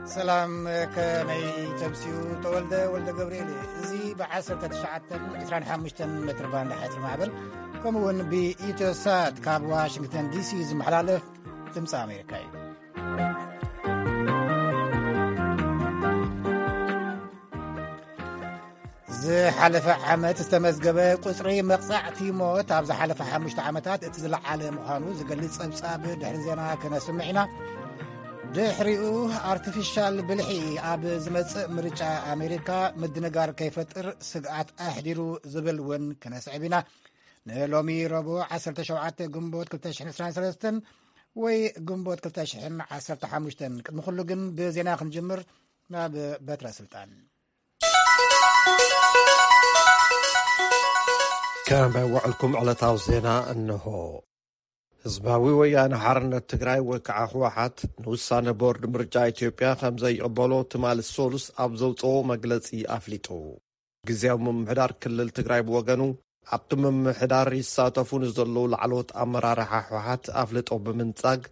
ሰላም፣ ከመይ ተምስዩ? ተወልደ ወልደ ገብርኤል። እዚ ብ19 25 ሜትር ባንድ ሓፂር ማዕበል፣ ከምኡ እውን ብኢትዮሳት ካብ ዋሽንግተን ዲሲ ዝመሓላለፍ ድምፂ ኣሜሪካ እዩ። ዝሓለፈ ዓመት ዝተመዝገበ ቁፅሪ መቕፃዕቲ ሞት ኣብ ዝሓለፈ ሓሙሽተ ዓመታት እቲ ዝለዓለ ምዃኑ ዝገልጽ ጸብጻብ ድሕሪ ዜና ከነስምዕ ኢና። ድሕሪኡ፣ ኣርቲፊሻል ብልሒ ኣብ ዝመጽእ ምርጫ ኣሜሪካ ምድንጋር ከይፈጥር ስግኣት ኣሕዲሩ ዝብል እውን ከነስዕብ ኢና። ንሎሚ ረቡዕ 17 ግንቦት 2023 ወይ ግንቦት 2015፣ ቅድሚ ኩሉ ግን ብዜና ክንጅምር ናብ በትረ ስልጣን። ከመይ ውዕልኩም? ዕለታዊ ዜና እንሆ። ህዝባዊ ወያነ ሓርነት ትግራይ ወይ ከዓ ህወሓት ንውሳነ ቦርድ ምርጫ ኢትዮጵያ ከም ዘይቕበሎ ትማሊ ሰሉስ ኣብ ዘውፅኦ መግለፂ ኣፍሊጡ። ግዝያዊ ምምሕዳር ክልል ትግራይ ብወገኑ ኣብቲ ምምሕዳር ይሳተፉ ንዘለዉ ላዕለዎት ኣመራርሓ ህወሓት ኣፍልጦ ብምንጻግ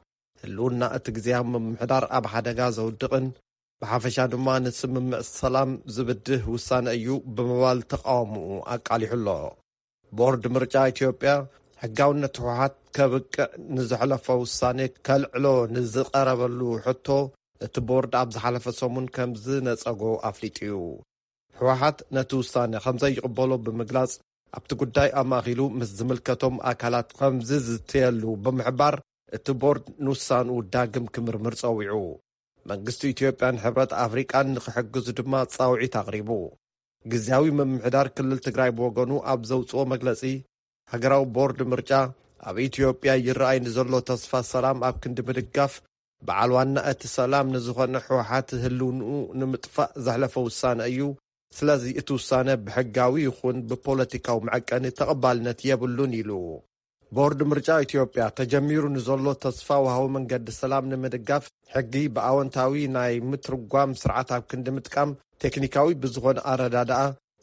ህልውና እቲ ግዝያዊ ምምሕዳር ኣብ ሓደጋ ዘውድቕን ብሓፈሻ ድማ ንስምምዕ ሰላም ዝብድህ ውሳነ እዩ ብምባል ተቃውምኡ ኣቃሊሑ ኣሎ። ቦርድ ምርጫ ኢትዮጵያ ሕጋውነት ህወሓት ከብቅዕ ንዘሕለፎ ውሳኔ ከልዕሎ ንዝቐረበሉ ሕቶ እቲ ቦርድ ኣብ ዝሓለፈ ሰሙን ከም ዝነጸጎ ኣፍሊጡ እዩ። ህወሓት ነቲ ውሳነ ከም ዘይቕበሎ ብምግላጽ ኣብቲ ጉዳይ ኣማእኪሉ ምስ ዝምልከቶም ኣካላት ከም ዝዝተየሉ ብምሕባር እቲ ቦርድ ንውሳንኡ ዳግም ክምርምር ጸዊዑ። መንግስቲ ኢትዮጵያን ሕብረት ኣፍሪቃን ንክሕግዙ ድማ ጻውዒት ኣቕሪቡ። ግዝያዊ ምምሕዳር ክልል ትግራይ ብወገኑ ኣብ ዘውፅኦ መግለፂ፣ ሃገራዊ ቦርድ ምርጫ ኣብ ኢትዮጵያ ይረኣይ ንዘሎ ተስፋ ሰላም ኣብ ክንዲ ምድጋፍ፣ በዓል ዋና እቲ ሰላም ንዝኾነ ህወሓት ህልውንኡ ንምጥፋእ ዘሕለፈ ውሳነ እዩ። ስለዚ እቲ ውሳነ ብሕጋዊ ይኹን ብፖለቲካዊ መዐቀኒ ተቐባልነት የብሉን ኢሉ። ቦርድ ምርጫ ኢትዮጵያ ተጀሚሩ ንዘሎ ተስፋ ወሃዊ መንገዲ ሰላም ንምድጋፍ ሕጊ ብኣወንታዊ ናይ ምትርጓም ስርዓት ኣብ ክንዲ ምጥቃም ቴክኒካዊ ብዝኾነ ኣረዳድኣ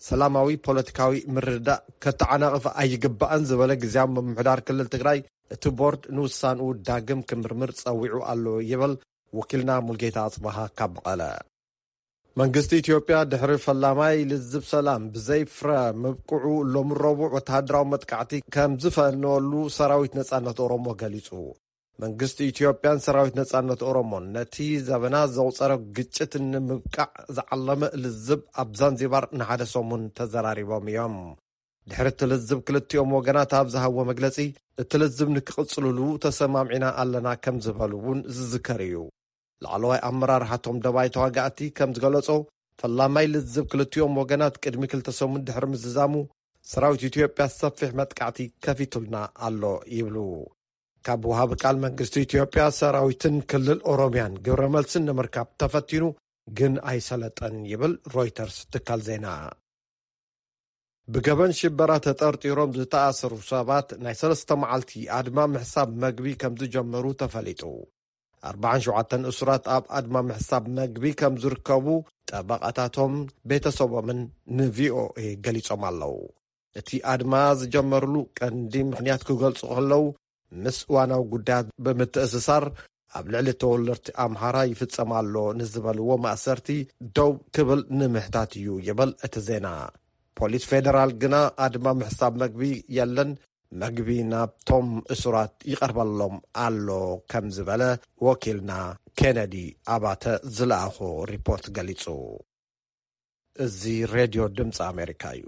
ሰላማዊ ፖለቲካዊ ምርድዳእ ከተዓናቕፍ ኣይግባእን ዝበለ ግዝያዊ ምምሕዳር ክልል ትግራይ እቲ ቦርድ ንውሳንኡ ዳግም ክምርምር ጸዊዑ ኣሎ ይብል ወኪልና ሙልጌታ ኣጽባሃ ካብ መቐለ። መንግስቲ ኢትዮጵያ ድሕሪ ፈላማይ ልዝብ ሰላም ብዘይ ፍረ ምብቅዑ ሎሚ ረቡዕ ወተሃደራዊ መጥቃዕቲ ከም ዝፈነወሉ ሰራዊት ነጻነት ኦሮሞ ገሊጹ። መንግስቲ ኢትዮጵያን ሰራዊት ነጻነት ኦሮሞን ነቲ ዘበናት ዘቑጸረ ግጭት ንምብቃዕ ዝዓለመ ልዝብ ኣብ ዛንዚባር ንሓደ ሰሙን ተዘራሪቦም እዮም። ድሕሪ እቲ ልዝብ ክልቲኦም ወገናት ኣብ ዝሃብዎ መግለጺ፣ እቲ ልዝብ ንክቕጽልሉ ተሰማሚዕና ኣለና ከም ዝበሉ እውን ዝዝከር እዩ። ላዕለዋይ ኣመራርሓ እቶም ደባይ ተዋጋእቲ ከም ዝገለጾ፣ ፈላማይ ልዝብ ክልቲኦም ወገናት ቅድሚ ክልተ ሰሙን ድሕሪ ምዝዛሙ፣ ሰራዊት ኢትዮጵያ ሰፊሕ መጥቃዕቲ ከፊቱልና ኣሎ ይብሉ። ካብ ወሃቢ ቃል መንግስቲ ኢትዮጵያ፣ ሰራዊትን ክልል ኦሮሚያን ግብረ መልስን ንምርካብ ተፈቲኑ ግን ኣይሰለጠን ይብል ሮይተርስ ትካል ዜና። ብገበን ሽበራ ተጠርጢሮም ዝተኣሰሩ ሰባት ናይ ሰለስተ መዓልቲ ኣድማ ምሕሳብ መግቢ ከም ዝጀመሩ ተፈሊጡ። ኣርባዓን ሸውዓተን እሱራት ኣብ ኣድማ ምሕሳብ መግቢ ከም ዝርከቡ ጠበቓታቶም፣ ቤተሰቦምን ንቪኦኤ ገሊጾም ኣለዉ። እቲ ኣድማ ዝጀመርሉ ቀንዲ ምኽንያት ክገልጹ ከለዉ፣ ምስ እዋናዊ ጉዳያት ብምትእስሳር ኣብ ልዕሊ ተወለድቲ ኣምሓራ ይፍጸም ኣሎ ንዝበልዎ ማእሰርቲ ደው ክብል ንምሕታት እዩ ይብል እቲ ዜና። ፖሊስ ፌደራል ግና ኣድማ ምሕሳብ መግቢ የለን፣ መግቢ ናብቶም እሱራት ይቐርበሎም ኣሎ ከም ዝበለ ወኪልና ኬነዲ ኣባተ ዝለኣኾ ሪፖርት ገሊጹ። እዚ ሬድዮ ድምፂ ኣሜሪካ እዩ።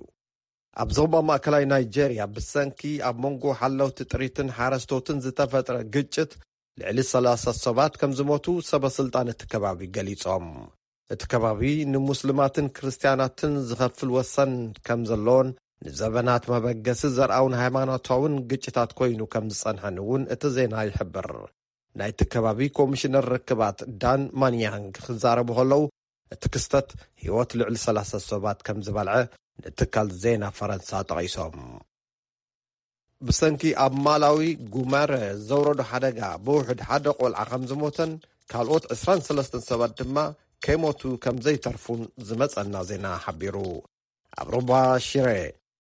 ኣብ ዞባ ማእከላይ ናይጄርያ ብሰንኪ ኣብ መንጎ ሓለውቲ ጥሪትን ሓረስቶትን ዝተፈጥረ ግጭት ልዕሊ ሰላሳ ሰባት ከም ዝሞቱ ሰበ ስልጣን እቲ ከባቢ ገሊጾም። እቲ ከባቢ ንሙስሊማትን ክርስትያናትን ዝኸፍል ወሰን ከም ዘሎን ንዘበናት መበገሲ ዘርኣውን ሃይማኖታውን ግጭታት ኮይኑ ከም ዝጸንሐን እውን እቲ ዜና ይሕብር። ናይቲ ከባቢ ኮሚሽነር ርክባት ዳን ማንያንግ ክዛረቡ ከለዉ፣ እቲ ክስተት ህይወት ልዕሊ ሰላሳ ሰባት ከም ዝበልዐ ንትካል ዜና ፈረንሳ ጠቒሶም። ብሰንኪ ኣብ ማላዊ ጉመረ ዘውረዶ ሓደጋ ብውሕድ ሓደ ቆልዓ ከም ዝሞተን ካልኦት ዕስራን ሰለስተን ሰባት ድማ ከይሞቱ ከም ዘይተርፉን ዝመጸና ዜና ሓቢሩ። ኣብ ሩባ ሽረ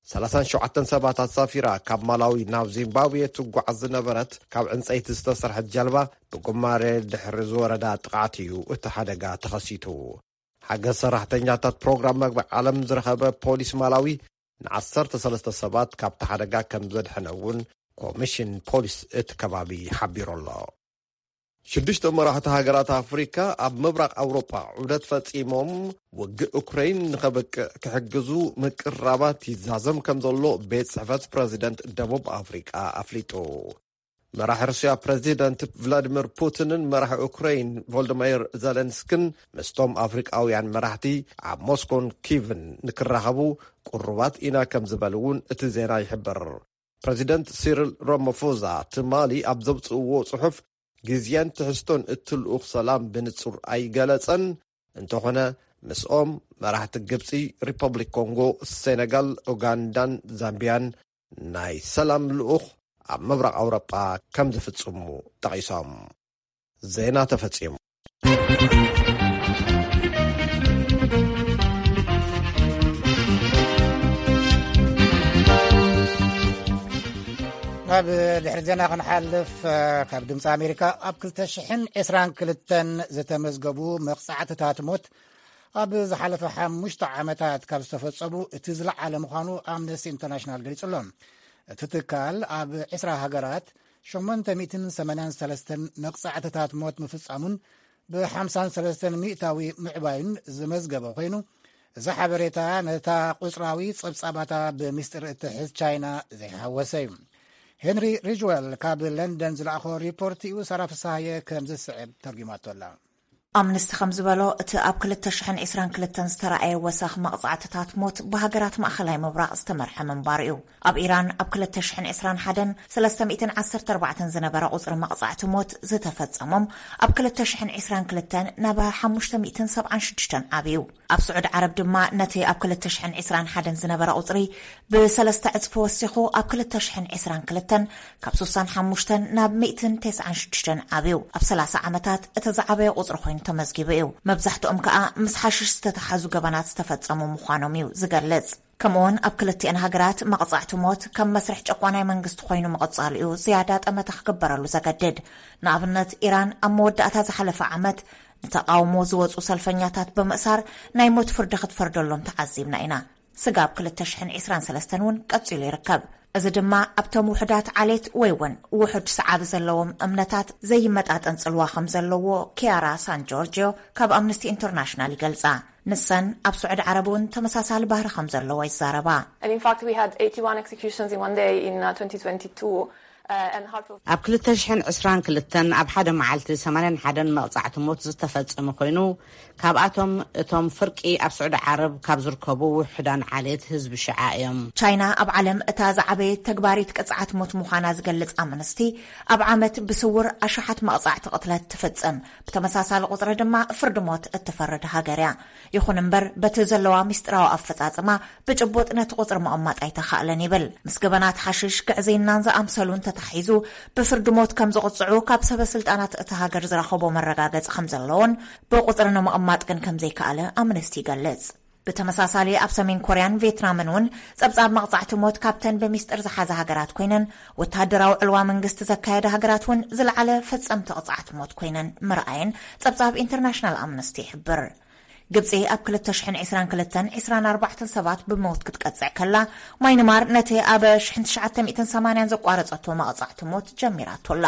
ሰላሳን ሸውዓተን ሰባት ኣሳፊራ ካብ ማላዊ ናብ ዚምባብዌ ትጓዓዝ ዝነበረት ካብ ዕንጸይቲ ዝተሰርሐት ጀልባ ብጉማሬ ድሕሪ ዝወረዳ ጥቕዓት እዩ እቲ ሓደጋ ተኸሲቱ። ሓገዝ ሰራሕተኛታት ፕሮግራም መግቢ ዓለም ዝረኸበ ፖሊስ ማላዊ ንዓሰርተ ሰለስተ ሰባት ካብቲ ሓደጋ ከም ዘድሐነ እውን ኮሚሽን ፖሊስ እቲ ከባቢ ሓቢሩ ኣሎ። ሽዱሽተ መራሕቲ ሃገራት ኣፍሪካ ኣብ ምብራቕ ኣውሮጳ ዑደት ፈጺሞም፣ ውግእ ኡክረይን ንኸበቅዕ ክሕግዙ ምቅራባት ይዛዘም ከም ዘሎ ቤት ጽሕፈት ፕረዚደንት ደቡብ ኣፍሪቃ ኣፍሊጡ። መራሒ ሩስያ ፕረዚደንት ቭላዲሚር ፑቲንን መራሒ ኡክረይን ቮልዲሚር ዘለንስክን ምስቶም ኣፍሪቃውያን መራሕቲ ኣብ ሞስኮን ኪቭን ንክራኸቡ ቅሩባት ኢና ከም ዝበሉ እውን እቲ ዜና ይሕብር። ፕረዚደንት ሲሪል ራማፎዛ ትማሊ ኣብ ዘውፅእዎ ጽሑፍ፣ ግዜን ትሕዝቶን እቲ ልኡኽ ሰላም ብንጹር ኣይገለጸን። እንተኾነ፣ ምስኦም መራሕቲ ግብጺ፣ ሪፐብሊክ ኮንጎ፣ ሴነጋል፣ ኡጋንዳን ዛምቢያን ናይ ሰላም ልኡኽ ኣብ ምብራቕ ኣውሮጳ ከም ዝፍጽሙ ጠቒሶም። ዜና ተፈጺሙ። ናብ ድሕሪ ዜና ክንሓልፍ፣ ካብ ድምፂ ኣሜሪካ፣ ኣብ ክልተ ሽሕን ዕስራን ክልተን ዝተመዝገቡ መቕጻዕትታት ሞት ኣብ ዝሓለፈ ሓሙሽተ ዓመታት ካብ ዝተፈጸሙ እቲ ዝለዓለ ምዃኑ ኣምነስቲ ኢንተርናሽናል ገሊጹ ኣሎ። እቲ ትካል ኣብ ዕስራ ሃገራት ሸሞንተ ሚእትን ሰማንያን ሰለስተን መቕጻዕትታት ሞት ምፍጻሙን ብሓምሳን ሰለስተን ሚእታዊ ምዕባዩን ዝመዝገበ ኮይኑ፣ እዚ ሓበሬታ ነታ ቁጽራዊ ጸብጻባታ ብምስጢር እትሕዝ ቻይና ዘይሓወሰ እዩ። ሄንሪ ሪጅወል ካብ ለንደን ዝለኣኾ ሪፖርት እዩ። ሳራ ፍስሃየ ከም ዝስዕብ ተርጉማቶ ኣላ። ኣምነስቲ ከም ዝበሎ፣ እቲ ኣብ ክልተ ሽሕን ዕስራን ክልተን ዝተረኣየ ወሰኽ መቕጻዕትታት ሞት ብሃገራት ማእኸላይ ምብራቕ ዝተመርሐ ምንባሩ እዩ። ኣብ ኢራን ኣብ ክልተ ሽሕን ዕስራን ሓደን ሰለስተ ሚእትን ዓሰርተ ኣርባዕተን ዝነበረ ቁጽሪ መቕጻዕቲ ሞት ዝተፈጸሞም፣ ኣብ ክልተ ሽሕን ዕስራን ክልተን ናብ ሓሙሽተ ሚእትን ሰብዓን ሽዱሽተን ዓብዩ። ኣብ ስዑድ ዓረብ ድማ ነቲ ኣብ ክልተ ሽሕን ዕስራን ሓደን ዝነበረ ቁጽሪ ብሰለስተ ዕጽፊ ወሲኹ፣ ኣብ ክልተ ሽሕን ዕስራን ክልተን ካብ ስሳን ሓሙሽተን ናብ ሚእትን ተስዓን ሽዱሽተን ዓብዩ። ኣብ ሰላሳ ዓመታት እቲ ዝዓበየ ቁጽሪ ኮይኑ ተመዝጊቡ እዩ። መብዛሕትኦም ከኣ ምስ ሓሽሽ ዝተተሓዙ ገበናት ዝተፈጸሙ ምዃኖም እዩ ዝገልጽ። ከምኡውን ኣብ ክልቲኤን ሃገራት መቕጻዕቲ ሞት ከም መስርሕ ጨቋናይ መንግስቲ ኮይኑ ምቕጻሉ እዩ ዝያዳ ጠመተ ክግበረሉ ዘገድድ። ንኣብነት፣ ኢራን ኣብ መወዳእታ ዝሓለፈ ዓመት ንተቓውሞ ዝወጹ ሰልፈኛታት ብምእሳር ናይ ሞት ፍርዲ ክትፈርደሎም ተዓዚብና ኢና። ስጋብ ክልተ ሽሕን ዕስራን ሰለስተን እውን ቀጺሉ ይርከብ። እዚ ድማ ኣብቶም ውሑዳት ዓሌት ወይ እውን ውሑድ ሰዓቢ ዘለዎም እምነታት ዘይመጣጠን ጽልዋ ከም ዘለዎ ኪያራ ሳን ጆርጂዮ ካብ ኣምነስቲ ኢንተርናሽናል ይገልጻ። ንሰን ኣብ ስዑዲ ዓረብ እውን ተመሳሳሊ ባህሪ ከም ዘለዎ ይዛረባ። And in fact, we had eighty-one executions in one day in uh, twenty twenty-two, uh, and half of ኣብ ክልተ ሽሕን ዕስራን ክልተን ኣብ ሓደ መዓልቲ ሰማንያን ሓደን መቕጻዕቲ ሞት ዝተፈጸመ ኮይኑ፣ ካብኣቶም እቶም ፍርቂ ኣብ ስዑዲ ዓረብ ካብ ዝርከቡ ውሑዳን ዓሌት ህዝቢ ሽዓ እዮም። ቻይና ኣብ ዓለም እታ ዝዓበየት ተግባሪት ቅጽዓት ሞት ምዃና ዝገልጽ ኣምነስቲ፣ ኣብ ዓመት ብስውር ኣሽሓት መቕጻዕቲ ቅትለት ትፍጽም። ብተመሳሳሊ ቁጽሪ ድማ ፍርዲ ሞት እትፈርድ ሃገር እያ። ይኹን እምበር፣ በቲ ዘለዋ ምስጢራዊ ኣፈጻጽማ ብጭቡጥ ነቲ ቁጽሪ ምቕማጥ ኣይተኻእለን ይብል። ምስ ገበናት ሓሽሽ፣ ግዕዝይናን ዝኣምሰሉን ተታሒዙ ብፍርዲ ሞት ከም ዝቕጽዑ ካብ ሰበ ስልጣናት እታ ሃገር ዝረኸቦ መረጋገጺ ከም ዘለዎን ብቁጽሪ ንምቕማጥ ግን ከም ዘይከኣለ ኣምነስቲ ይገልጽ። ብተመሳሳሊ ኣብ ሰሜን ኮርያን ቬትናምን እውን ጸብጻብ መቕጻዕቲ ሞት ካብተን ብሚስጥር ዝሓዛ ሃገራት ኮይነን፣ ወተሃደራዊ ዕልዋ መንግስቲ ዘካየዳ ሃገራት እውን ዝለዓለ ፈጸምቲ ቅጽዓት ሞት ኮይነን ምርኣየን ጸብጻብ ኢንተርናሽናል ኣምነስቲ ይሕብር። ግብጺ ኣብ ክልተ ሽሕን ዕስራን ክልተን ዕስራን ኣርባዕተን ሰባት ብሞት ክትቀጽዕ ከላ፣ ማይንማር ነቲ ኣብ ሽሕን ትሽዓተ ሚእትን ሰማንያን ዘቋረጸቶ መቕጻዕቲ ሞት ጀሚራቶ ኣላ።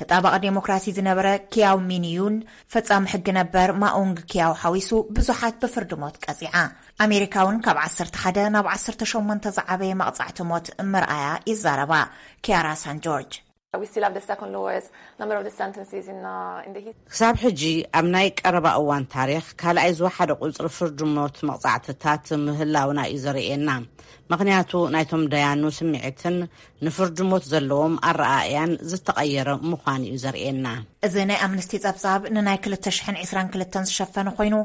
ተጣባቒ ዴሞክራሲ ዝነበረ ኪያው ሚንዩን ፈጻሚ ሕጊ ነበር ማኡንግ ኪያው ሓዊሱ ብዙሓት ብፍርዲ ሞት ቀጺዓ። ኣሜሪካ እውን ካብ ዓሰርተ ሓደ ናብ ዓሰርተ ሸሞንተ ዝዓበየ መቕጻዕቲ ሞት ምርኣያ ይዛረባ ኪያራ ሳን ጆርጅ። We still have the second lowest number of the sentences in, uh, in the history. ክሳብ ሕጂ ኣብ ናይ ቀረባ እዋን ታሪኽ ካልኣይ ዝወሓደ ቁጽሪ ፍርዲ ሞት መቕጻዕትታት ምህላውና እዩ ዘርእየና። ምኽንያቱ ናይቶም ደያኑ ስምዒትን ንፍርዲ ሞት ዘለዎም ኣረኣእያን ዝተቐየረ ምዃኑ እዩ ዘርእየና። እዚ ናይ ኣምነስቲ ጸብጻብ ንናይ ክልተ ሽሕን ዕስራን ክልተን ዝሸፈነ ኮይኑ፣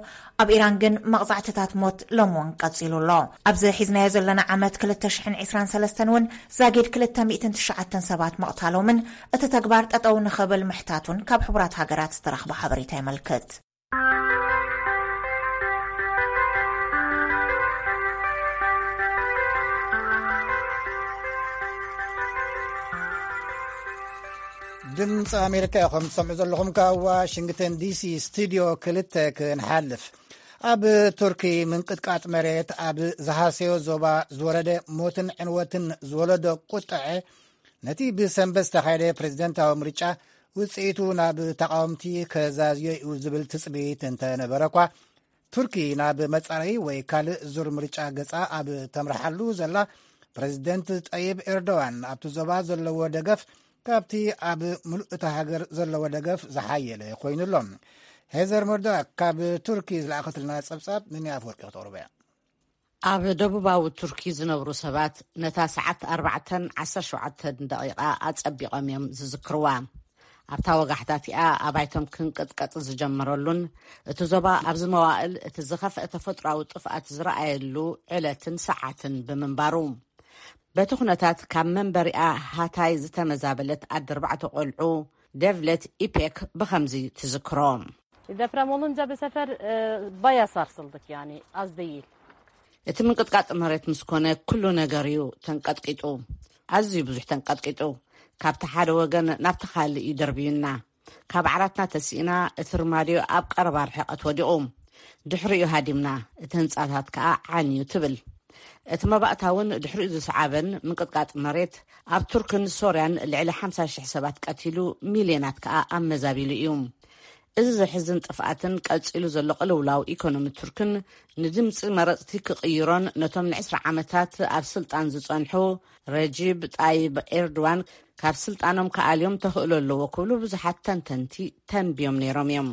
ኣብ ኢራን ግን መቕጻዕትታት ሞት ሎሚ እውን ቀጺሉ ኣሎ። ኣብዚ ሒዝናዮ ዘለና ዓመት ክልተ ሽሕን ዕስራን ሰለስተን እውን ዛጊድ ክልተ ሚእትን ትሽዓተን ሰባት ምቕታሎምን እቲ ተግባር ጠጠው ንኽብል ምሕታቱን ካብ ሕቡራት ሃገራት ዝተረኽበ ሓበሬታ የመልክት። ድምፂ ኣሜሪካ ኢኹም ትሰምዑ ዘለኹም ካብ ዋሽንግተን ዲሲ ስቱዲዮ ክልተ። ክንሓልፍ፣ ኣብ ቱርኪ ምንቅጥቃጥ መሬት ኣብ ዝሃሰዮ ዞባ ዝወረደ ሞትን ዕንወትን ዝወለዶ ቁጥዐ፣ ነቲ ብሰንበት ዝተኻየደ ፕሬዝደንታዊ ምርጫ ውፅኢቱ ናብ ተቃወምቲ ከዛዝዮ እዩ ዝብል ትፅቢት እንተነበረ እኳ፣ ቱርኪ ናብ መጻረዪ ወይ ካልእ ዙር ምርጫ ገጻ ኣብ ተምርሓሉ ዘላ፣ ፕሬዝደንት ጠይብ ኤርዶዋን ኣብቲ ዞባ ዘለዎ ደገፍ ካብቲ ኣብ ምሉእ እታ ሃገር ዘለዎ ደገፍ ዝሓየለ ኮይኑ ኣሎ። ሄዘር መርዶክ ካብ ቱርኪ ዝለኣኸትልና ጸብጻብ ንኒ ኣፈወርቂ ክተቕርቦ እያ። ኣብ ደቡባዊ ቱርኪ ዝነብሩ ሰባት ነታ ሰዓት ኣርባዕተን ዓሰርተ ሸውዓተን ደቂቓ ኣጸቢቖም እዮም ዝዝክርዋ። ኣብታ ወጋሕታ እቲኣ ኣባይቶም ክንቅጥቀጥ ዝጀመረሉን እቲ ዞባ ኣብዚ መዋእል እቲ ዝኸፍአ ተፈጥሮኣዊ ጥፍኣት ዝረኣየሉ ዕለትን ሰዓትን ብምንባሩ፣ በቲ ኩነታት ካብ መንበሪኣ ሃታይ ዝተመዛበለት ኣደ ኣርባዕተ ቆልዑ ደቭለት ኢፔክ ብኸምዚ ትዝክሮ። Deprem olunca bu sefer e, bayağı sarsıldık yani, az değil. እቲ ምንቅጥቃጥ መሬት ምስ ኮነ ኩሉ ነገር እዩ ተንቀጥቂጡ። ኣዝዩ ብዙሕ ተንቀጥቂጡ። ካብቲ ሓደ ወገን ናብቲ ካልእ እዩ ደርብዩና። ካብ ዓራትና ተሲእና እቲ ርማድዮ ኣብ ቀረባ ርሕቀት ወዲቑ። ድሕሪኡ ሃዲምና፣ እቲ ህንጻታት ከኣ ዓንዩ ትብል። እቲ መባእታ እውን ድሕሪኡ ዝሰዓበን ምንቅጥቃጥ መሬት ኣብ ቱርክን ሶርያን ልዕሊ ሓምሳ ሽሕ ሰባት ቀቲሉ፣ ሚልዮናት ከኣ ኣመዛቢሉ እዩ። እዚ ዘሕዝን ጥፍኣትን ቀጺሉ ዘሎ ቅልውላው ኢኮኖሚ ቱርክን ንድምጺ መረጽቲ ክቕይሮን ነቶም ንዕስራ ዓመታት ኣብ ስልጣን ዝጸንሑ ረጂብ ጣይብ ኤርዶዋን ካብ ስልጣኖም ክኣልዮም ተኽእሎ ኣለዎ ክብሉ ብዙሓት ተንተንቲ ተንብዮም ነይሮም እዮም።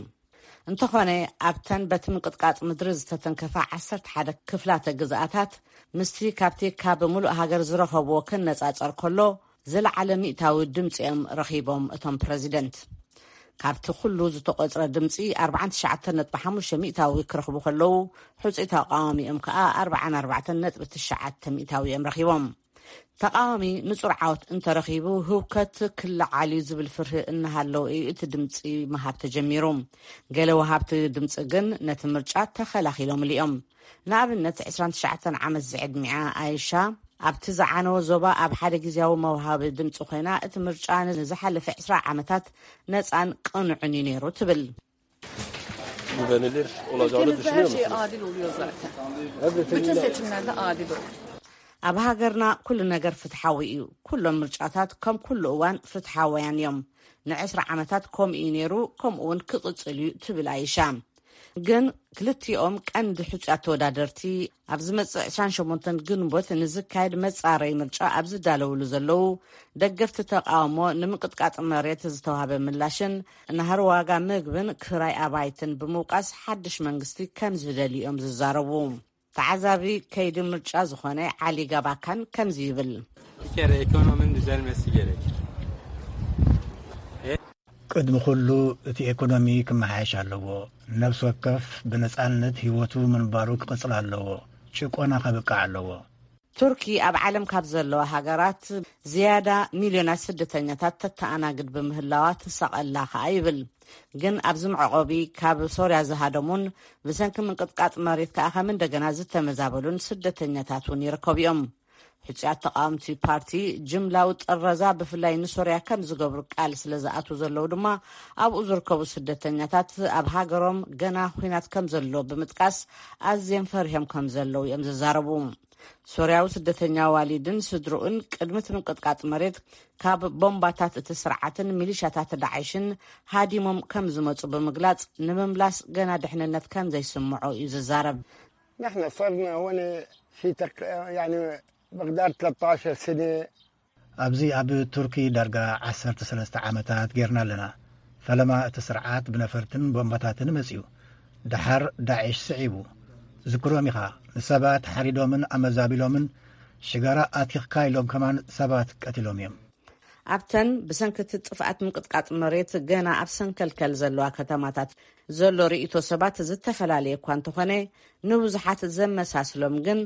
እንተኾነ ኣብተን በቲ ምንቅጥቃጥ ምድሪ ዝተተንከፋ ዓሰርተ ሓደ ክፍላተ ግዝኣታት ምስቲ ካብቲ ካብ ምሉእ ሃገር ዝረኸብዎ ክነጻጸር ከሎ ዝለዓለ ሚእታዊ ድምፂ እዮም ረኺቦም እቶም ፕረዚደንት። ካብቲ ኩሉ ዝተቖፅረ ድምፂ ኣርባዓን ትሽዓተን ነጥቢ ሓሙሽተ ሚእታዊ ክረኽቡ ከለዉ፣ ሕፁይ ተቃዋሚኦም ከዓ ኣርባዓን ኣርባዕተን ነጥቢ ትሽዓተ ሚእታዊ እዮም ረኺቦም። ተቃዋሚ ንፁር ዓወት እንተረኺቡ ህውከት ክለዓል እዩ ዝብል ፍርሂ እናሃለዉ እዩ እቲ ድምፂ ምሃብ ተጀሚሩ። ገለ ወሃብቲ ድምፂ ግን ነቲ ምርጫ ተኸላኺሎምሉ እዮም። ንኣብነት ዕስራን ትሽዓተን ዓመት ዝዕድሚኣ ኣይሻ ኣብቲ ዝዓነወ ዞባ ኣብ ሓደ ግዜያዊ መውሃቢ ድምፂ ኮይና እቲ ምርጫ ንዝሓለፈ ዕስራ ዓመታት ነፃን ቅኑዕን እዩ ነይሩ ትብል። Güvenilir olacağını düşünüyor musunuz? Ülkemizde her şey adil oluyor zaten. Bütün seçimlerde adil olur. ኣብ ሃገርና ኩሉ ነገር ፍትሓዊ እዩ። ኩሎም ምርጫታት ከም ኩሉ እዋን ፍትሓውያን እዮም። ንዕስራ ዓመታት ከምኡ እዩ ነይሩ፣ ከምኡ እውን ክቕፅል እዩ ትብል ኣይሻ። ግን ክልቲኦም ቀንዲ ሕፁያት ተወዳደርቲ ኣብ ዝመፅእ ዕስራን ሸሞንተን ግንቦት ንዝካየድ መፃረይ ምርጫ ኣብ ዝዳለውሉ ዘለዉ፣ ደገፍቲ ተቃውሞ ንምንቅጥቃጥ መሬት ዝተዋህበ ምላሽን ናህሪ ዋጋ ምግብን ክራይ ኣባይትን ብምውቃስ ሓድሽ መንግስቲ ከም ዝደልዩ እዮም ዝዛረቡ። ተዓዛቢ ከይዲ ምርጫ ዝኾነ ዓሊ ጋባካን ከምዚ ይብል። Bir kere ekonominin düzelmesi gerekir. ቅድሚ ኩሉ እቲ ኤኮኖሚ ክመሓየሽ ኣለዎ። ነብሲ ወከፍ ብነፃነት ህይወቱ ምንባሩ ክቕፅል ኣለዎ። ጭቆና ከብቅዕ ኣለዎ። ቱርኪ ኣብ ዓለም ካብ ዘለዋ ሃገራት ዝያዳ ሚልዮናት ስደተኛታት ተተኣናግድ ብምህላዋ ትሳቐላ ከኣ ይብል። ግን ኣብዚ መዕቆቢ ካብ ሶርያ ዝሃደሙን ብሰንኪ ምንቅጥቃጥ መሬት ከኣ ከም እንደገና ዝተመዛበሉን ስደተኛታት እውን ይርከቡ እዮም። ሕጹያት ተቃወምቲ ፓርቲ ጅምላዊ ጥረዛ ብፍላይ ንሶርያ ከም ዝገብሩ ቃል ስለ ዝኣትዉ ዘለዉ ድማ ኣብኡ ዝርከቡ ስደተኛታት ኣብ ሃገሮም ገና ኲናት ከም ዘሎ ብምጥቃስ ኣዝዮም ፈሪሆም ከም ዘለዉ እዮም ዝዛረቡ። ሶርያዊ ስደተኛ ዋሊድን ስድርኡን ቅድሚ እቲ ምንቅጥቃጥ መሬት ካብ ቦምባታት እቲ ስርዓትን ሚሊሻታት ዳዕሽን ሃዲሞም ከም ዝመጹ ብምግላጽ ንምምላስ ገና ድሕንነት ከም ዘይስምዖ እዩ ዝዛረብ። نحن صرنا هون في تق... يعني بغداد ثلاثة عشر سنة. ኣብዚ ኣብ ቱርኪ ዳርጋ ዓሰርተ ሰለስተ ዓመታት ጌርና ኣለና። ፈለማ እቲ ስርዓት ብነፈርትን ቦምባታትን መጺኡ። ደሓር ዳዒሽ ስዒቡ። ዝክሮም ኢኻ፣ ንሰባት ሓሪዶምን ኣመዛቢሎምን ሽጋራ ኣቲኽካ ኢሎም ከማን ሰባት ቀቲሎም እዮም። ኣብተን ብሰንኪ እቲ ጥፍኣት ምንቅጥቃጥ መሬት ገና ኣብ ሰንከልከል ዘለዋ ከተማታት ዘሎ ርእይቶ ሰባት ዝተፈላለየ እኳ እንተኾነ፣ ንብዙሓት ዘመሳስሎም ግን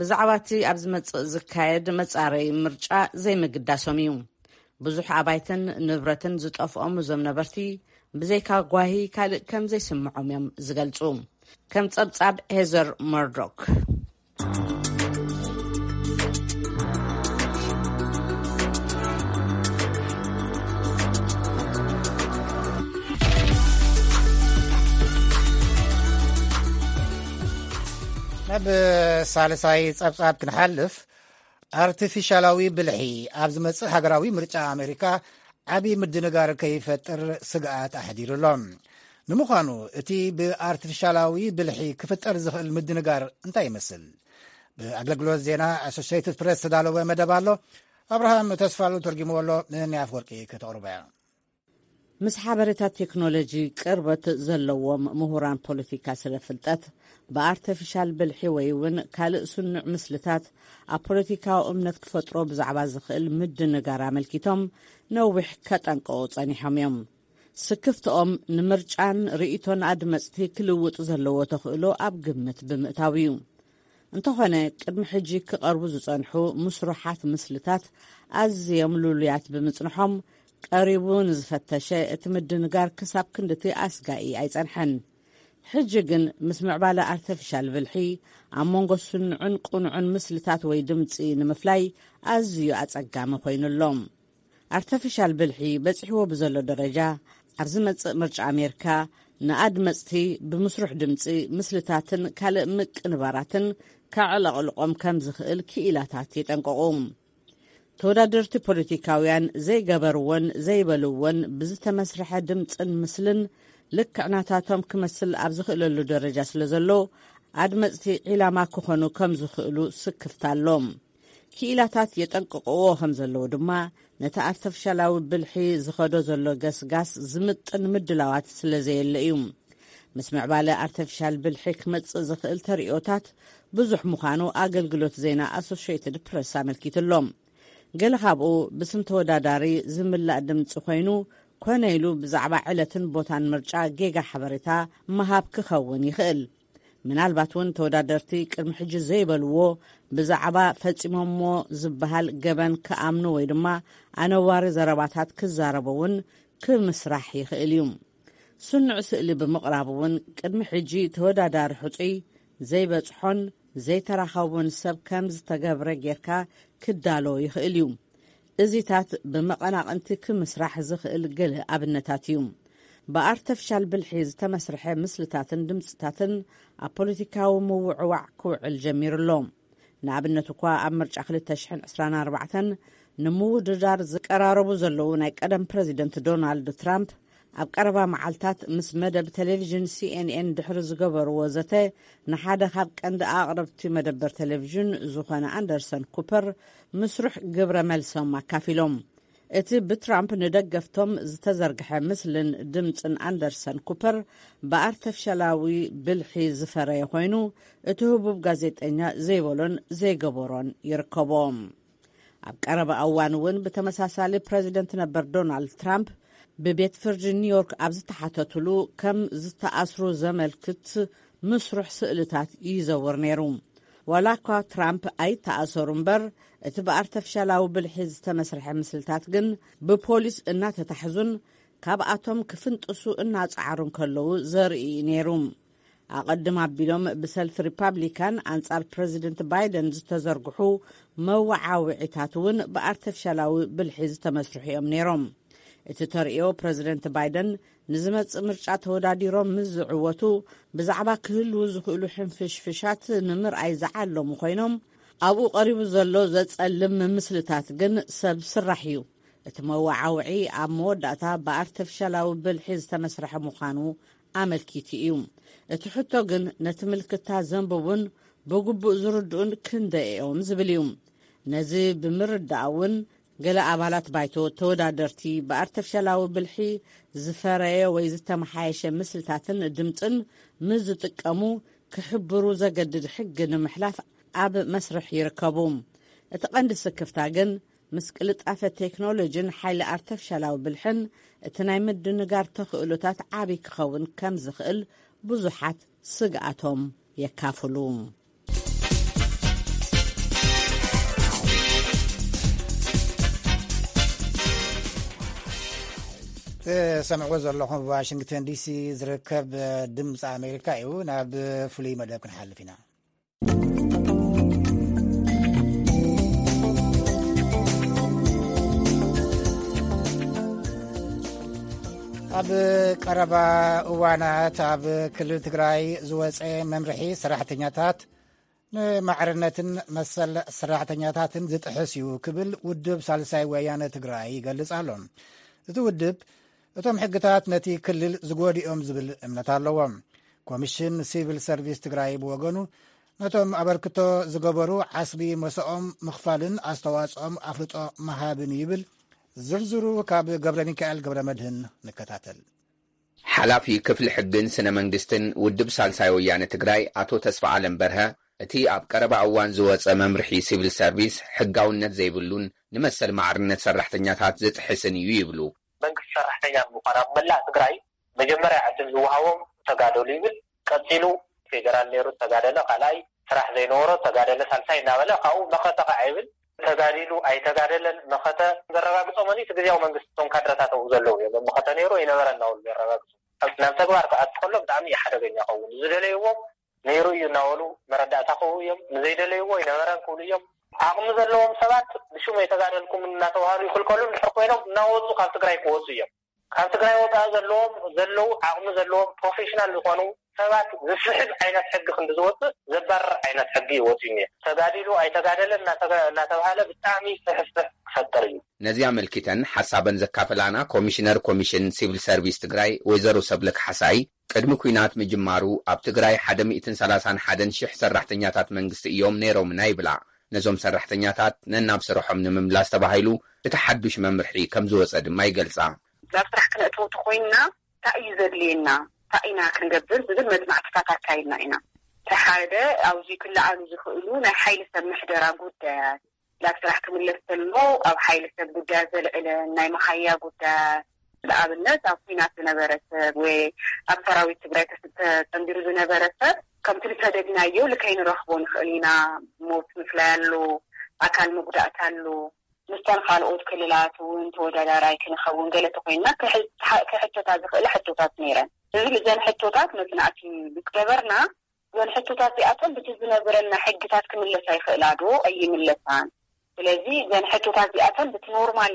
ብዛዕባ እቲ ኣብ ዝመጽእ ዝካየድ መጻረዪ ምርጫ ዘይምግዳሶም እዩ። ብዙሕ ኣባይትን ንብረትን ዝጠፍኦም እዞም ነበርቲ ብዘይካ ጓሂ ካልእ ከም ዘይስምዖም እዮም ዝገልጹ። ከም ጸብጻብ ሄዘር መርዶክ። ናብ ሳልሳይ ጸብጻብ ክንሓልፍ፣ ኣርቲፊሻላዊ ብልሒ ኣብ ዝመጽእ ሃገራዊ ምርጫ ኣሜሪካ ዓቢ ምድንጋር ከይፈጥር ስግኣት ኣሕዲሩ ኣሎ። ንምዃኑ እቲ ብኣርቲፊሻላዊ ብልሒ ክፍጠር ዝኽእል ምድንጋር እንታይ ይመስል? ብኣገልግሎት ዜና ኣሶሽየትድ ፕሬስ ዝተዳለወ መደብ ኣሎ። ኣብርሃም ተስፋሉ ተርጊምዎ ኣሎ። ንንያፍ ወርቂ ከተቕርቦ እያ። ምስ ሓበሬታ ቴክኖሎጂ ቅርበት ዘለዎም ምሁራን ፖለቲካ ስለ ፍልጠት፣ ብኣርተፊሻል ብልሒ ወይ እውን ካልእ ስኑዕ ምስልታት ኣብ ፖለቲካዊ እምነት ክፈጥሮ ብዛዕባ ዝኽእል ምድንጋር ኣመልኪቶም ነዊሕ ከጠንቅቑ ጸኒሖም እዮም። ስክፍትኦም ንምርጫን ርእይቶን ኣድመጽቲ ክልውጥ ዘለዎ ተኽእሎ ኣብ ግምት ብምእታው እዩ። እንተኾነ፣ ቅድሚ ሕጂ ክቐርቡ ዝጸንሑ ምስሩሓት ምስልታት ኣዝዮም ልሉያት ብምጽንሖም፣ ቀሪቡ ንዝፈተሸ እቲ ምድንጋር ክሳብ ክንድቲ ኣስጋኢ ኣይጸንሐን። ሕጂ ግን ምስ ምዕባለ ኣርተፊሻል ብልሒ ኣብ መንጎ ስኑዕን ቅኑዕን ምስልታት ወይ ድምጺ ንምፍላይ ኣዝዩ ኣጸጋሚ ኮይኑ ኣሎ። ኣርተፊሻል ብልሒ በጺሕዎ ብዘሎ ደረጃ፣ ኣብ ዝመጽእ ምርጫ ኣሜሪካ ንኣድመጽቲ ብምስሩሕ ድምጺ፣ ምስልታትን ካልእ ምቅንባራትን ከዕለቕልቖም ከም ዝኽእል ክኢላታት የጠንቅቑ። ተወዳደርቲ ፖለቲካውያን ዘይገበርዎን ዘይበልዎን ብዝተመስርሐ ድምጽን ምስልን ልክዕ ናታቶም ክመስል ኣብ ዝኽእለሉ ደረጃ ስለ ዘሎ፣ ኣድመጽቲ ዒላማ ክኾኑ ከም ዝኽእሉ ስክፍታ ኣሎ። ክኢላታት የጠንቅቕዎ ከም ዘለዉ ድማ፣ ነቲ ኣርተፊሻላዊ ብልሒ ዝኸዶ ዘሎ ገስጋስ ዝምጥን ምድላዋት ስለ ዘየለ እዩ። ምስ ምዕባለ ኣርተፊሻል ብልሒ ክመጽእ ዝኽእል ተርእዮታት ብዙሕ ምዃኑ ኣገልግሎት ዜና ኣሶሽየትድ ፕረስ ኣመልኪቱ ኣሎ። ገለ ካብኡ ብስም ተወዳዳሪ ዝምላእ ድምጺ ኮይኑ፣ ኮነ ኢሉ ብዛዕባ ዕለትን ቦታን ምርጫ ጌጋ ሓበሬታ ምሃብ ክኸውን ይኽእል። ምናልባት እውን ተወዳደርቲ ቅድሚ ሕጂ ዘይበልዎ ብዛዕባ ፈጺሞሞ ዝበሃል ገበን ክኣምኑ ወይ ድማ ኣነዋሪ ዘረባታት ክዛረቡ እውን ክምስራሕ ይኽእል እዩ። ስኑዕ ስእሊ ብምቕራብ እውን ቅድሚ ሕጂ ተወዳዳሪ ሕጹይ ዘይበጽሖን ዘይተራኸቦን ሰብ ከም ዝተገብረ ጌርካ ክዳሎ ይኽእል እዩ። እዚታት ብመቐናቕንቲ ክምስራሕ ዝኽእል ገለ ኣብነታት እዩ። ብኣርተፊሻል ብልሒ ዝተመስርሐ ምስልታትን ድምፅታትን ኣብ ፖለቲካዊ ምውዕዋዕ ክውዕል ጀሚሩ ኣሎ። ንኣብነት እኳ ኣብ ምርጫ ክልተ ሽሕን ዕስራን ኣርባዕተን ንምውድዳር ዝቀራረቡ ዘለዉ ናይ ቀደም ፕረዚደንት ዶናልድ ትራምፕ ኣብ ቀረባ መዓልታት ምስ መደብ ቴሌቪዥን ሲኤንኤን ድሕሪ ዝገበርዎ ዘተ ንሓደ ካብ ቀንዲ ኣቕረብቲ መደበር ቴሌቪዥን ዝኾነ ኣንደርሰን ኩፐር ምስሩሕ ግብረ መልሶም ኣካፊሎም። እቲ ብትራምፕ ንደገፍቶም ዝተዘርግሐ ምስልን ድምፅን ኣንደርሰን ኩፐር ብኣርተፊሻላዊ ብልሒ ዝፈረየ ኮይኑ፣ እቲ ህቡብ ጋዜጠኛ ዘይበሎን ዘይገበሮን ይርከቦ። ኣብ ቀረባ እዋን እውን ብተመሳሳሊ ፕረዚደንት ነበር ዶናልድ ትራምፕ ብቤት ፍርዲ ኒውዮርክ ኣብ ዝተሓተትሉ ከም ዝተኣስሩ ዘመልክት ምስሩሕ ስእልታት ይዘውር ነይሩ። ዋላ እኳ ትራምፕ ኣይተኣሰሩ እምበር፣ እቲ ብኣርተፊሻላዊ ብልሒ ዝተመስርሐ ምስልታት ግን ብፖሊስ እናተታሕዙን ካብኣቶም ክፍንጥሱ እናጸዓሩን ከለዉ ዘርኢ እዩ ነይሩ። ኣቐድም ኣቢሎም ብሰልፊ ሪፓብሊካን ኣንጻር ፕረዚደንት ባይደን ዝተዘርግሑ መወዓውዒታት እውን ብኣርተፊሻላዊ ብልሒ ዝተመስርሑ እዮም ነይሮም። እቲ ተርእዮ ፕረዚደንት ባይደን ንዝመጽእ ምርጫ ተወዳዲሮም ምስ ዝዕወቱ ብዛዕባ ክህልዉ ዝኽእሉ ሕንፍሽፍሻት ንምርኣይ ዝዓለሙ ኮይኖም፣ ኣብኡ ቀሪቡ ዘሎ ዘጸልም ምስልታት ግን ሰብ ስራሕ እዩ። እቲ መወዓውዒ ኣብ መወዳእታ ብኣርተፊሻላዊ ብልሒ ዝተመስርሐ ምዃኑ ኣመልኪቱ እዩ። እቲ ሕቶ ግን ነቲ ምልክታ ዘንብቡን ብግቡእ ዝርድኡን ክንደይ እዮም ዝብል እዩ። ነዚ ብምርዳእ እውን ገለ ኣባላት ባይቶ ተወዳደርቲ ብኣርተፊሻላዊ ብልሒ ዝፈረየ ወይ ዝተመሓየሸ ምስልታትን ድምፅን ምስ ዝጥቀሙ ክሕብሩ ዘገድድ ሕጊ ንምሕላፍ ኣብ መስርሕ ይርከቡ። እቲ ቀንዲ ስክፍታ ግን ምስ ቅልጣፈ ቴክኖሎጂን ሓይሊ ኣርተፊሻላዊ ብልሕን እቲ ናይ ምድንጋር ተኽእሎታት ዓቢ ክኸውን ከም ዝኽእል ብዙሓት ስግኣቶም የካፍሉ። ትሰምዕዎ ዘለኹም ብዋሽንግተን ዲሲ ዝርከብ ድምፂ ኣሜሪካ እዩ። ናብ ፍሉይ መደብ ክንሓልፍ ኢና። ኣብ ቀረባ እዋናት ኣብ ክልል ትግራይ ዝወፀ መምርሒ፣ ሰራሕተኛታት ንማዕርነትን መሰል ሰራሕተኛታትን ዝጥሕስ እዩ ክብል ውድብ ሳልሳይ ወያነ ትግራይ ይገልጽ ኣሎ። እቲ ውድብ እቶም ሕግታት ነቲ ክልል ዝጎድኦም ዝብል እምነት ኣለዎም። ኮሚሽን ሲቪል ሰርቪስ ትግራይ ብወገኑ ነቶም ኣበርክቶ ዝገበሩ ዓስቢ መሰኦም ምኽፋልን ኣስተዋጽኦም ኣፍልጦ ምሃብን ይብል። ዝርዝሩ ካብ ገብረ ሚካኤል ገብረ መድህን ንከታተል። ሓላፊ ክፍሊ ሕግን ስነ መንግስትን ውድብ ሳልሳይ ወያነ ትግራይ ኣቶ ተስፋ ኣለም በርሀ፣ እቲ ኣብ ቀረባ እዋን ዝወፀ መምርሒ ሲቪል ሰርቪስ ሕጋውነት ዘይብሉን ንመሰል ማዕርነት ሰራሕተኛታት ዝጥሕስን እዩ ይብሉ። መንግስቲ ሰራሕተኛ ንምዃን ኣብ መላእ ትግራይ መጀመርያ ዕድል ዝወሃቦም ተጋደሉ ይብል። ቀፂሉ ፌደራል ነይሩ ተጋደለ፣ ካልኣይ ስራሕ ዘይነበሮ ተጋደለ፣ ሳልሳይ እናበለ ካብኡ መኸተ ከዓ ይብል። ተጋዲሉ ኣይተጋደለን መኸተ ዘረጋግፆ መን እዩ? እቲ ግዝያዊ መንግስቲ፣ እቶም ካድረታት ኣብኡ ዘለዉ እዮም። መኸተ ነይሩ ኣይነበረ እናበሉ ዘረጋግፁ። ናብ ተግባር ክኣቱ ከሎ ብጣዕሚ እዩ ሓደገኛ ይኸውን። ዝደለይዎም ነይሩ እዩ እናበሉ መረዳእታ ክህቡ እዮም። ንዘይደለይዎ ኣይነበረን ክብሉ እዮም። ዓቕሚ ዘለዎም ሰባት ብሽም ኣይተጋደልኩም እናተባህሉ ይኽልከሉ እንድሕር ኮይኖም እናወፁ ካብ ትግራይ ክወፁ እዮም። ካብ ትግራይ ወፃኢ ዘለዎም ዘለዉ ዓቕሚ ዘለዎም ፕሮፌሽናል ዝኾኑ ሰባት ዝስሕብ ዓይነት ሕጊ ክንዲ ዝወፅእ ዘባርር ዓይነት ሕጊ እዩ ወፂኡ እኒአ። ተጋዲሉ ኣይተጋደለን እናተጋ- እናተባህለ ብጣዕሚ ስሕፍሕ ክፈጥር እዩ። ነዚ ኣመልኪተን ሓሳበን ዘካፈላና ኮሚሽነር ኮሚሽን ሲቪል ሰርቪስ ትግራይ ወይዘሮ ሰብለ ካሕሳይ፣ ቅድሚ ኲናት ምጅማሩ ኣብ ትግራይ ሓደ ሚእትን ሰላሳን ሓደን ሽሕ ሰራሕተኛታት መንግስቲ እዮም ነይሮምና ይብላ። ነዞም ሰራሕተኛታት ነናብ ስርሖም ንምምላስ ተባሂሉ እቲ ሓዱሽ መምርሒ ከም ዝወፀ ድማ ይገልፃ። ናብ ስራሕ ክነእትዎ ተኾይንና እንታይ እዩ ዘድልየና፣ እንታይ ኢና ክንገብር ዝብል መፅናዕትታት ኣካይድና ኢና። እቲ ሓደ ኣብዚ ክለዓሉ ዝኽእሉ ናይ ሓይሊ ሰብ ምሕደራ ጉዳያት፣ ናብ ስራሕ ክምለስ ከሎ ኣብ ሓይሊ ሰብ ጉዳያት ዘልዕለን ናይ መሓያ ጉዳያት፣ ንኣብነት ኣብ ኲናት ዝነበረ ሰብ ወይ ኣብ ሰራዊት ትግራይ ተስ- ተፀንቢሩ ዝነበረ ሰብ ከምቲ ዝሰደድናዮ ልከይንረኽቦ ንኽእል ኢና። ሞት ምፍላይ ኣሎ፣ ኣካል መጉዳእቲ ኣሎ። ምስተን ካልኦት ክልላት እውን ተወዳዳራይ ክንኸውን ገለ ተኮይንና ክሕ- ክሕተታ ዝኽእላ ሕቶታት ነይረን። እዚ እዘን ሕቶታት መፅናዕቲ ምስ ገበርና እዘን ሕቶታት እዚኣተን ብቲ ዝነብረና ሕግታት ክምለሳ ይኽእላ ዶ ኣይምለሳን? ስለዚ እዘን ሕቶታት እዚኣተን ብቲ ኖርማል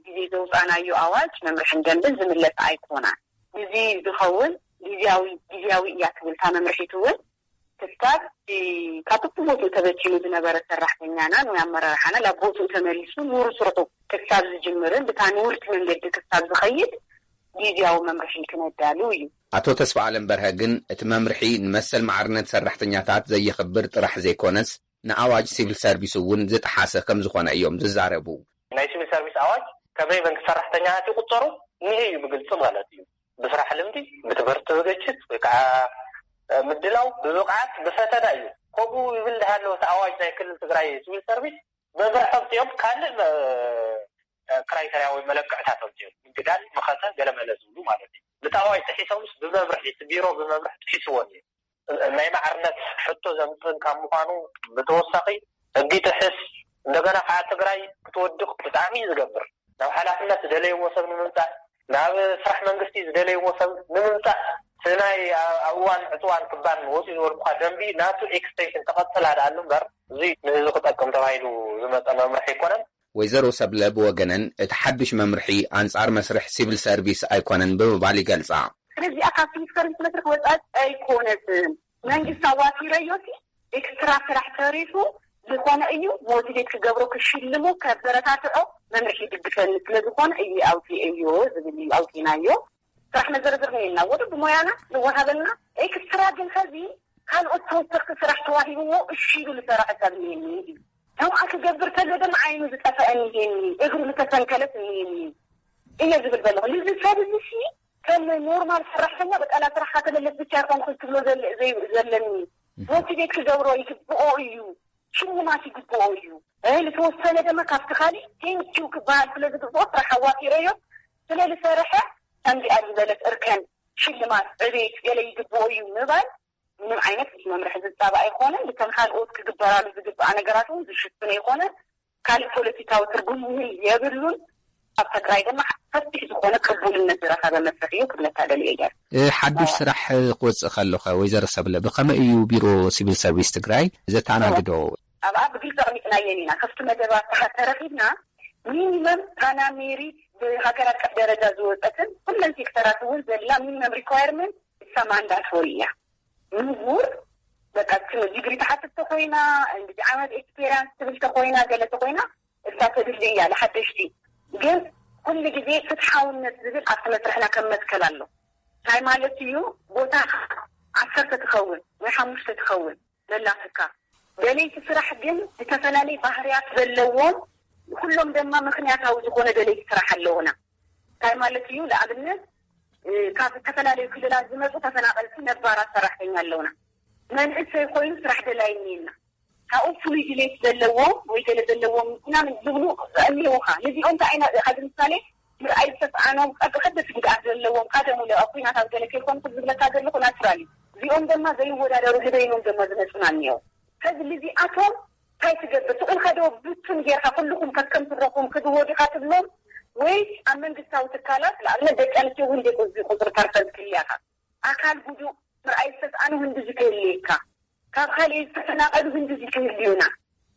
ግዜ ዘውፃእናዮ ኣዋጅ መምርሕን ደንብን ዝምለሳ ኣይኮናን። እዚ ዝኸውን ግዝያዊ ግዝያዊ እያ ትብል እታ መምርሒት እውን ክሳብ ካብ ቦትኡ ተበቲኑ ዝነበረ ሰራሕተኛና ወይ ኣመራርሓና ናብ ቦትኡ ተመሊሱ ኑሩ ስርሑ ክሳብ ዝጅምርን ብታ ንውርቲ መንገዲ ክሳብ ዝኸይድ ግዝያዊ መምርሒ ክነዳሉ እዩ። ኣቶ ተስፋኣለም በርሀ ግን እቲ መምርሒ ንመሰል ማዕርነት ሰራሕተኛታት ዘየኽብር ጥራሕ ዘይኮነስ ንኣዋጅ ሲቪል ሰርቪስ እውን ዝጠሓሰ ከምዝኾነ እዮም ዝዛረቡ። ናይ ሲቪል ሰርቪስ ኣዋጅ ከም ናይ መንግስቲ ሰራሕተኛታት ይቁፀሩ እኒሀ እዩ ብግልፂ ማለት እዩ። ብስራሕ ልምዲ፣ ብትምህርቲ ዝግጅት ወይ ከዓ ምድላው፣ ብብቕዓት፣ ብፈተና እዩ። ከምኡ ይብል እንዳሃለወ እቲ ኣዋጅ ናይ ክልል ትግራይ ሲቪል ሰርቪስ መምርሒ ኣምፂኦም ካልእ ክራይተርያ ወይ መለክዕታት ኣምፂኦም ምግዳል፣ መኸተ፣ ገለመለ ዝብሉ ማለት እዩ። ብቲ ኣዋጅ ጥሒሶምስ ብመምርሒ፣ እቲ ቢሮ ብመምርሒ ጥሒስዎ እኒኦ። ናይ ማዕርነት ሕቶ ዘምፅእ ካብ ምዃኑ ብተወሳኺ ሕጊ ይጥሕስ። እንደገና ከዓ ትግራይ ክትወድቕ ብጣዕሚ እዩ ዝገብር። ናብ ሓላፍነት ዝደለይዎ ሰብ ንምምፃእ፣ ናብ ስራሕ መንግስቲ ዝደለይዎ ሰብ ንምምፃእ፣ እቲ ናይ ኣብ እዋን ዕፅዋን ክባን ወፂኡ ዝበልኩኻ ደንቢ ናቱ ኤክስቴንሽን ተቐፅላ ደኣ ኣሎ እምበር፣ እዚ ንህዝቢ ክጠቅም ተባሂሉ ዝመፀ መምርሒ ኣይኮነን። ወይዘሮ ሰብለ ብወገነን እቲ ሓዱሽ መምርሒ ኣንፃር መስርሕ ሲቪል ሰርቪስ ኣይኮነን ብምባል ይገልፃ። ስለዚኣ ካብ ሲቪል ሰርቪስ መስርሕ ወፃኢ ኣይኮነትን። መንግስቲ ኣዋፊረዮ ሲ ኤክስትራ ስራሕ ተሪፉ ዝኾነ እዩ ሞቲቬት ክገብሮ ክሽልሞ ከበረታትዖ መምርሒ ይድግፈኒ ስለዝኾነ እዩ ኣውፂኤዮ ዝብል እዩ ኣውፂናዮ። ስራሕ መዘርዝር ነየና ወደ ብሞያና ዝወሃበና ኤክስትራ ግን ከዚ ካልኦት ተወሰኽቲ ስራሕ ተዋሂብዎ እሺ ኢሉ ዝሰረሐ ሰብ እኒሄኒ እዩ። ከምኣ ክገብር ከሎ ድማ ዓይኑ ዝጠፈአ እኒሄኒ፣ እግሩ ዝተሰንከለት እኒሄኒ እየ ዝብል ዘለኹ። ንዚ ሰብ እዚ ሲ ከም ኖርማል ሰራሕተኛ በቃ ናብ ስራሕካ ተመለስ ብቻ ይኮንኩ ትብሎ ዘለኒ ሞቲቬት ክገብሮ ይግብኦ እዩ፣ ሽልማት ይግብኦ እዩ። ዝተወሰነ ድማ ካብቲ ካሊእ ቴንኪው ክበሃል ስለ ዝግብኦ ስራሕ ኣዋፊረዮ ስለ ዝሰርሐ ከምዚኣ ዝበለት እርከን ሽልማት ዕቤት ገለ ይግብኦ እዩ ምባል ምንም ዓይነት መምርሒ ዝፃባእ ኣይኮነን። ብተን ካልኦት ክግበራሉ ዝግበኣ ነገራት እውን ዝሽፍን ኣይኮነን። ካልእ ፖለቲካዊ ትርጉም እውን የብሉን። ኣብ ትግራይ ድማ ሰፊሕ ዝኾነ ቅቡልነት ዝረኸበ መስርሕ እዩ ክብለካ ደልየ እየ። ሓዱሽ ስራሕ ክወፅእ ከሎኸ ወይዘሮ ሰብለ ብኸመይ እዩ ቢሮ ሲቪል ሰርቪስ ትግራይ ዘተኣናግዶ? ኣብኣ ብግልፂ ኣቕሚጥናየን ኢና። ክፍቲ መደባት ተረኺብና ሚኒመም ፓናሜሪት ብሃገር ኣቀፍ ደረጃ ዝወፀትን ኩለን ሴክተራት እውን ዘላ ሚኒመም ሪኳየርመንት እሳ ማንዳቶሪ እያ። ምሁር በቃ ዲግሪ ተሓትቶ ኮይና፣ እንግዲህ ዓመት ኤክስፔሪንስ ትብል ተኮይና፣ ገለ ተኮይና፣ እሳ ተድሊ እያ ንሓደሽቲ። ግን ኩሉ ግዜ ፍትሓውነት ዝብል ኣብቲ መስርሕና ከም መትከል ኣሎ። እንታይ ማለት እዩ? ቦታ ዓሰርተ ትኸውን ወይ ሓሙሽተ ትኸውን ዘላትካ፣ ደለይቲ ስራሕ ግን ዝተፈላለዩ ባህርያት ዘለዎም፣ ኩሎም ድማ ምክንያታዊ ዝኾነ ደለይቲ ስራሕ ኣለውና። እንታይ ማለት እዩ? ንኣብነት፣ እ፣ ካብ ዝተፈላለዩ ክልላት ዝመፁ ተፈናቐልቲ ነባራት ሰራሕተኛ ኣለውና። መንእሰይ ኮይኑ ስራሕ ደላይ እኒና። ካብኡ ፍሉይ ድሌት ዘለዎም ወይ ገለ ዘለዎም ምናምን ዝብሉ ኣለውኻ። ነዚኦም ከ ኣይና-፣ ካብ ምሳሌ ምርኣይ ዝተስኣኖም፣ ቀ-፣ ከበድቲ ጉድኣት ዘለዎም፣ ቀደም ለ ኣብ ኲናት ኣብ ገለ ከይኮንኩ ዝብለካ ዘለኹ ናቹራሊ። እዚኦም ድማ ዘይወዳደሩ ንበይኖም ድማ ዝመፁና እኒኦ። ከዚ ልዚኣቶም እንታይ ትገብር? ስቕ ኢልካ ዶ ብትን ጌርካ ኩልኹም ከከም ስረኹም ክድዎ ዲኻ ትብሎም? ወይ ኣብ መንግስታዊ ትካላት፣ ንኣብነት ደቂ ኣንስትዮ እውን ደቂ ቁፅሪ ፐርሰንት ክልያኻ፣ ኣካል ጉዱእ፣ ምርኣይ ዝተስኣኑ ህንዲ ዝክህልየካ፣ ካብ ካልእ ዝተፈናቐሉ ህንዲ ዝክህልዩና፣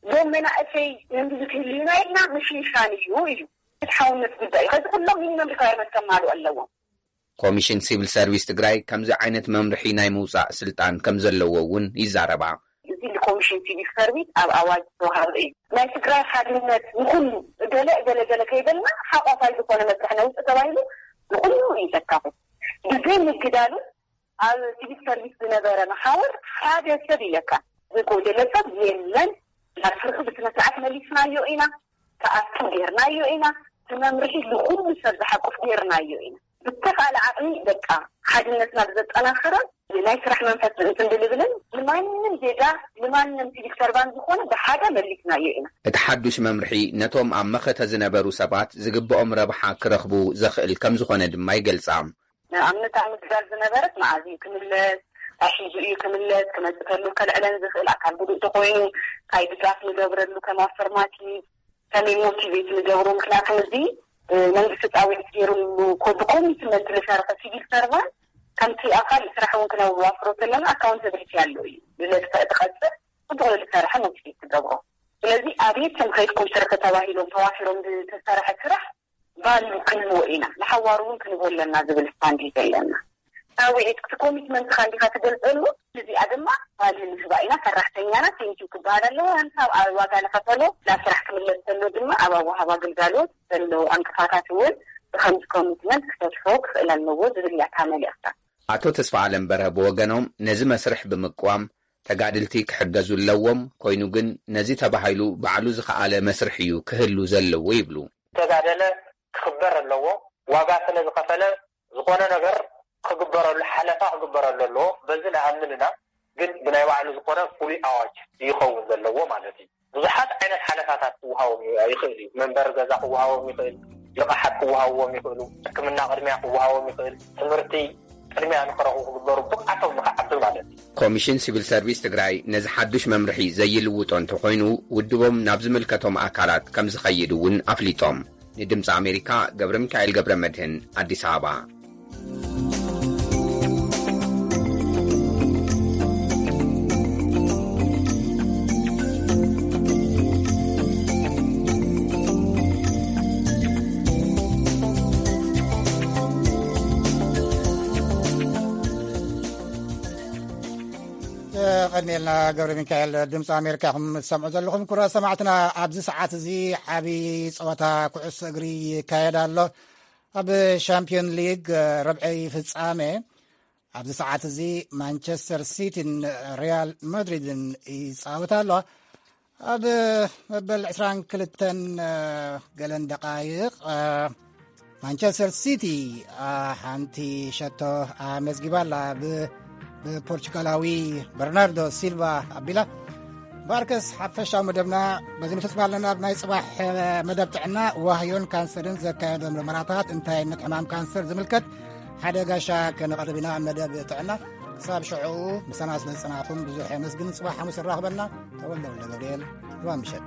ዞም መናእሰይ ህንዲ ዝክህልዩና ኢልና ምሽንሻን እዩ፣ እዩ። ፍትሓውነት ጉዳይ እዩ። ከዚ ኩሎም ሚኒመም ሪኳየርመንት ከማሉ ኣለዎም። ኮሚሽን ሲቪል ሰርቪስ ትግራይ ከምዚ ዓይነት መምርሒ ናይ ምውፃእ ስልጣን ከም ዘለዎ እውን ይዛረባ። እዚ ንኮሚሽን ሲቪል ሰርቪስ ኣብ ኣዋጅ ዝተዋሃበ እዩ። ናይ ትግራይ ሓድነት ንኹሉ ገለ ገለ ገለ ከይበልና ሓቋፋይ ዝኾነ መስርሕ ነውፅእ ተባሂሉ ንኹሉ እዩ ዘካፍል። ብዘይ ምግዳሉ ኣብ ሲቪል ሰርቪስ ዝነበረ መሓውር ሓደ ሰብ ኢለካ ዝጎደለ ሰብ የለን። ናብ ስርሑ ብስነ ስርዓት መሊስናዮ ኢና፣ ክኣቱ ጌርናዮ ኢና፣ እቲ መምርሒ ንኹሉ ሰብ ዝሓቁፍ ጌርናዮ ኢና። ብተኻእለ ዓቕሚ በቃ ሓድነትና ብዘጠናኸረ ናይ ስራሕ መንፈስ እንትን ብልብልን ንማንም ዜጋ ንማንም ሲቪል ሰርቫንት ዝኾነ ብሓደ መሊስናዮ ኢና። እቲ ሓዱሽ መምርሒ ነቶም ኣብ መኸተ ዝነበሩ ሰባት ዝግብኦም ረብሓ ክረኽቡ ዘኽእል ከም ዝኾነ ድማ ይገልጻ። ንኣብነት ኣብ ምግዳል ዝነበረት መኣዝ እዩ ክምለስ፣ ኣሒዙ እዩ ክምለስ፣ ክመጽእ ከሎ ከልዕለን ዝኽእል ኣካል ጉዱእ ተኮይኑ፣ እንታይ ድጋፍ ንገብረሉ ከም ኣፈርማቲቭ፣ ከመይ ሞቲቬት ንገብሮ? ምክንያቱ እዚ፣ እ፣ መንግስቲ ጻውዒት ገይሩሉ ኮ-፣ ብኮሚትመንት ዝሰርሐ ሲቪል ሰርቫንት ከምቲ ኣካል ስራሕ እውን ክነዋፍሮ ከለና ኣካውንታብሊቲ ኣሎ እዩ። ዝለጥፈ እቲ ቀጽር ጽቡቕ ዝሰርሐ ሞቲቬት ትገብሮ። ስለዚ ኣብየት ከም ከይድኩም ስርሒ ተባሂሎም ተዋፊሮም ዝተሰርሐ ስራሕ ቫልዩ ክንህቦ ኢና፣ ንሓዋሩ እውን ክንህቦ ኣለና ዝብል ስታንድ እዩ ዘለና። ጻውዒት እቲ ኮሚትመንትኻ እንዲኻ ትገልጸሉ፣ እዚኣ ድማ ቫልዩ ንህባ ኢና። ሰራሕተኛና ቴንኪው ክበሃል ኣለዎ። ሃንሳብ ኣብ ዋጋ ንኸፈሎ ናብ ስራሕ ክምለስ ዘሎ ድማ ኣብ ኣወሃባ ግልጋሎት ዘለዉ ዕንቅፋታት እውን ብኸምዚ ኮሚትመንት ክፈትሖ ክኽእል ኣለዎ ዝብል እያ እታ መልእኽታ። ኣቶ ተስፋ ኣለም በርሀ ብወገኖም ነዚ መስርሕ ብምቅዋም ተጋድልቲ ክሕገዙ ኣለዎም፣ ኮይኑ ግን ነዚ ተባሂሉ ባዕሉ ዝኸኣለ መስርሕ እዩ ክህሉ ዘለዎ ይብሉ። ተጋደለ ክኽበር ኣለዎ። ዋጋ ስለ ዝኸፈለ ዝኾነ ነገር ክግበረሉ፣ ሓለፋ ክግበረሉ ኣለዎ። በዚ ንኣምን ኢና። ግን ብናይ ባዕሉ ዝኾነ ፍሉይ ኣዋጅ ይኸውን ዘለዎ ማለት እዩ። ብዙሓት ዓይነት ሓለፋታት ክወሃቦም ይ-፣ ይኽእል እዩ። መንበሪ ገዛ ክወሃቦም ይኽእል፣ ልቓሓት ክወሃብዎም ይኽእሉ፣ ሕክምና ቅድሚያ ክወሃቦም ይኽእል፣ ትምህርቲ ቅድሚያ ንኽረኽቡ ክግበሩ ብቕዓቶም ንኽዓቢ ማለት እዩ። ኮሚሽን ሲቪል ሰርቪስ ትግራይ ነዚ ሓዱሽ መምርሒ ዘይልውጦ እንተኾይኑ ውድቦም ናብ ዝምልከቶም ኣካላት ከም ዝኸይድ እውን ኣፍሊጦም። ንድምፂ ኣሜሪካ ገብረ ሚካኤል ገብረ መድህን ኣዲስ ኣበባ። ቀድሜልና ገብረ ሚካኤል ድምፂ ኣሜሪካ ኢኹም ትሰምዑ ዘለኹም። ክቡራት ሰማዕትና፣ ኣብዚ ሰዓት እዚ ዓብዪ ፀወታ ኩዕሶ እግሪ ይካየድ ኣሎ። ኣብ ሻምፒዮን ሊግ ረብዒ ፍጻሜ ኣብዚ ሰዓት እዚ ማንቸስተር ሲቲን ሪያል ማድሪድን ይጻወታ ኣለዋ። ኣብ መበል ዕስራን ክልተን ገለን ደቃይቕ ማንቸስተር ሲቲ ሓንቲ ሸቶ ኣመዝጊባ ኣላ። ብ-፣ ብፖርቹጋላዊ በርናርዶ ሲልቫ ኣቢላ። ባርከስ ሓፈሻዊ መደብና በዚ ንፍጽም ኣለና። ኣብ ናይ ጽባሕ መደብ ጥዕና፣ ዋህዮን ካንሰርን ዘካየዶ ምርመራታት፣ እንታይ ዓይነት ሕማም ካንሰር ዝምልከት ሓደ ጋሻ ከነቕርብ ኢና ኣብ መደብ ጥዕና። ክሳብ ሽዑ ምሳና ስለ ዝጸናሕኩም ብዙሕ የመስግን። ጽባሕ ሓሙስ ይራኽበና። ተወልደ ወልደ ገብርኤል፣ ርባ ምሸት።